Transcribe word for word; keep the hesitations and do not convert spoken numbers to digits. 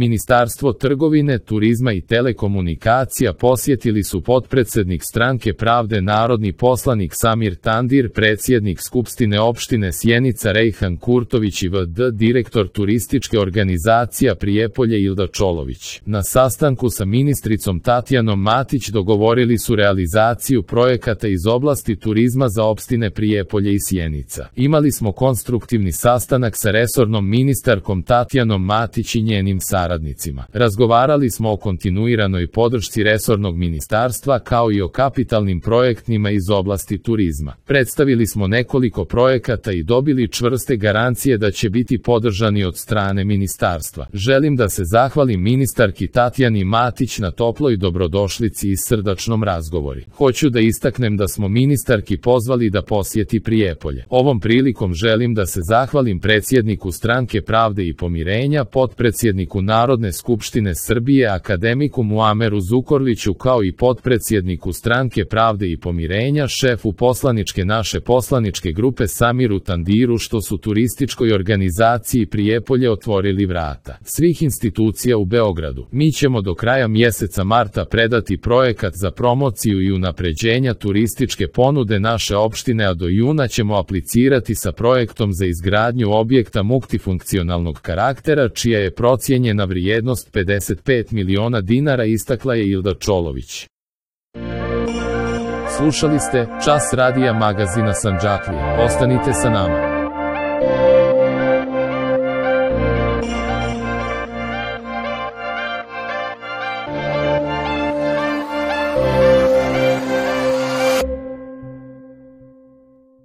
Ministarstvo trgovine, turizma i telekomunikacija posjetili su potpredsjednik Stranke pravde narodni poslanik Samir Tandir, predsjednik Skupštine opštine Sjenica Rejhan Kurtović i v d direktor turističke organizacija Prijepolje Ilda Čolović. Na sastanku sa ministricom Tatjanom Matić dogovorili su realizaciju projekata iz oblasti turizma za opštine Prijepolje i Sjenica. Imali smo konstruktivni sastanak sa resornom ministarkom Tatjanom Matić i njenim saradnicima. Razgovarali smo o kontinuiranoj podršci resornog ministarstva kao i o kapitalnim projektima iz oblasti turizma. Predstavili smo nekoliko projekata i dobili čvrste garancije da će biti podržani od strane ministarstva. Želim da se zahvalim ministarki Tatjani Matić na toploj dobrodošlici i srdačnom razgovori. Hoću da istaknem da smo ministarki pozvali da posjeti Prijepolje. Ovom prilikom želim da se zahvalim predsjedniku Stranke pravde i pomirenja, potpredsjedniku Narodne skupštine Srbije akademiku Muameru Zukorliću kao i potpredsjedniku Stranke pravde i pomirenja, šefu poslaničke naše poslaničke grupe Samiru Tandiru što su turističkoj organizaciji Prijepolje otvorili vrata svih institucija u Beogradu. Mi ćemo do kraja mjeseca marta predati projekat za promociju i unapređenja turističke ponude naše opštine, a do juna ćemo aplicirati sa projektom za izgradnju objekta multifunkcionalnog karaktera čija je procijenjena vrijednost pedeset pet miliona dinara, istakla je Ilda Čolović. Slušali ste Čas radija magazina Sandžaklija. Ostanite sa nama.